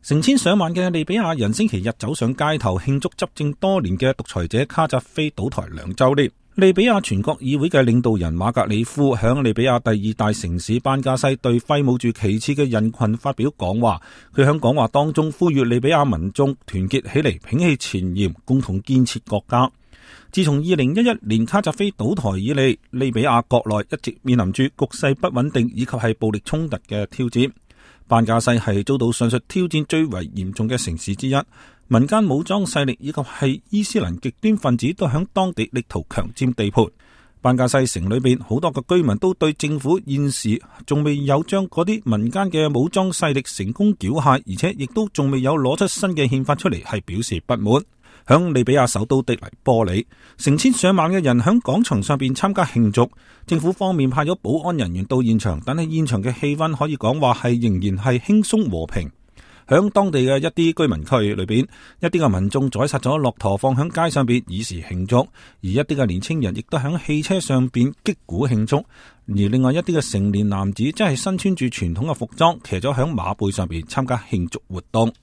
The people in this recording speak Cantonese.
成千上萬嘅利比亞人星期日走上街頭慶祝執政多年嘅獨裁者卡扎菲倒台2週年。利比亞全國議會嘅領導人馬格里夫響利比亞第2大城市班加西對揮舞住旗幟嘅人群發表講話。佢響講話當中呼籲利比亞民眾團結起嚟，摒棄前嫌，共同建設國家。自從2011年卡扎菲倒台以嚟，利比亞國內一直面臨住局勢不穩定以及係暴力衝突嘅挑戰。班加西係遭到上述挑戰最為嚴重嘅城市之一，民間武裝勢力以及係伊斯蘭極端分子都響當地力圖強佔地盤。班加西城裏邊好多嘅居民都對政府現時仲未有將嗰啲民間嘅武裝勢力成功繳械，而且亦都仲未有攞出新嘅憲法出嚟，係表示不滿。響利比亞首都的黎波里，成千上萬嘅人響廣場上邊參加慶祝。政府方面派咗保安人員到現場，但係現場嘅氣氛可以講話係仍然係輕鬆和平。響當地嘅一啲居民區裏邊，一啲嘅民眾宰殺咗駱駝放響街上邊以示慶祝，而一啲嘅年輕人亦都響汽車上邊擊鼓慶祝。而另外一啲嘅成年男子真係身穿住傳統嘅服裝，騎咗響馬背上邊參加慶祝活動。